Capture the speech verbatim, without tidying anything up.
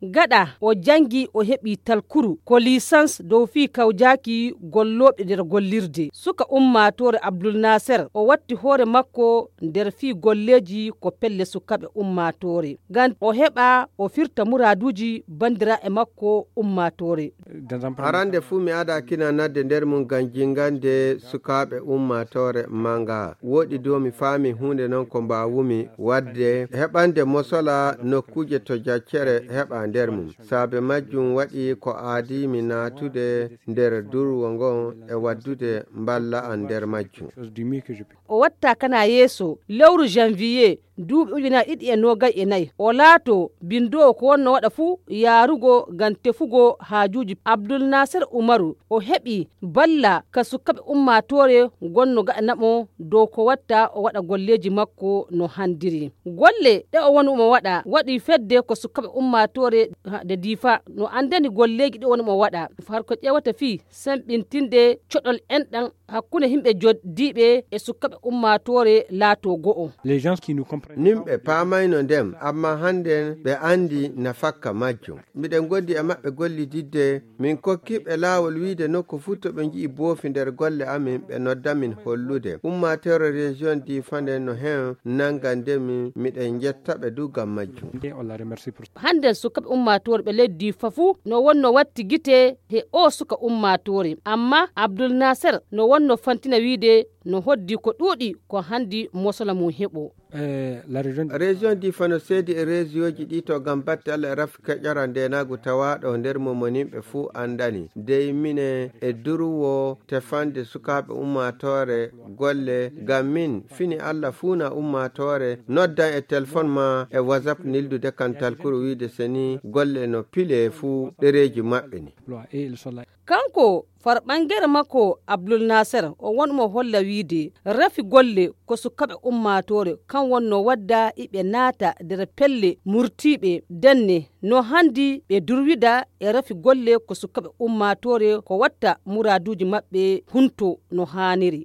Gaɗa o janngi, o heɓi talkuru ko lisans dow fii kawjaaki gollooɓe nder gollirde. Suka ummaatoore Abdul Naser, o watti hoore makko nder fii golleeji ko pelle sukaaɓe ummaatoore. Ngam o heɓa, o firta muraaduuji banndiraaɓe makko ummaatoore. Arande fuu mi ada kina nadde nder mum ngam jingande sukaaɓe ummaatoore manga. Woɗi dow mi faami huunde non ko mbaawumi waɗde, heɓande mosola nokkuuje to jaccere heɓa nder mum. Saabe majjum waɗi ko aadimi naatude nder durwo ngon e waddude mballa an nder majjum. O watta kana yeeso lewru janvier duuɓi ujunaaji ɗiɗi e noogay e nayi. O laato binndoowo ko wonno waɗa fuu yaarugo ngam tefugo haajuuji. Abdul Naser Umaru, o heɓi balla ka sukaaɓe ummaatoore gonno gaɗana mo dow ko watta o waɗa golleeji makko no handiri. Golle ɗe o woni mo waɗa waɗi fedde ko sukaaɓe ummaatoore de diifa no anndani golleeji ɗe woni mo waɗa. Har ko ƴeewata fii semɓintinde coɗol enɗan hakkunde yimɓe joddiiɓe e sukaaɓe ummaatoore laato go'o. Nimɓe paamayno ndem, amma hannden ɓe anndi nafakka majjum. Miɗen ngondi e maɓɓe gollididde, min kokkiɓe laawol wiide nokku fuu to ɓe nji'i boofi nder golle amin, ɓe nodda min hollude. Ummaatoore région di fanden no hen nangande min, miɗen njetta ɓe du ngam majjum. Hannden sukaaɓe ummaatoore ɓe leydi fa fuu no wonno watti gite he o suka ummaatoore. Amma Abdul Naser no wonno fantina wiide no hoddi ko ɗuuɗi ko hanndi mosola mum heɓo. Région di fano seedi e région ji ɗi to ngam batte Allah e rafi keƴara ndenaagu tawaaɗo nder mum mo nimɓe fuu anndani. Dey mine e durwo tefande sukaaɓe ummaatoore golle ngam min fini Allah fuu na ummaatoore noddan e telefon ma e WhatsApp nildude kan talkuru wiide seni golle no pile fuu ɗereeji maɓɓe ni. Kanko far ɓangere makko Abdul Naser o won mo holla wiide rafi golle ko sukaaɓe ummaatoore kan wonno wadda iɓe naata nder pelle murtiiɓe denne no hanndi ɓe durwida e rafi golle ko sukaaɓe ummaatoore ko watta muraaduuji maɓɓe hunto no haaniri.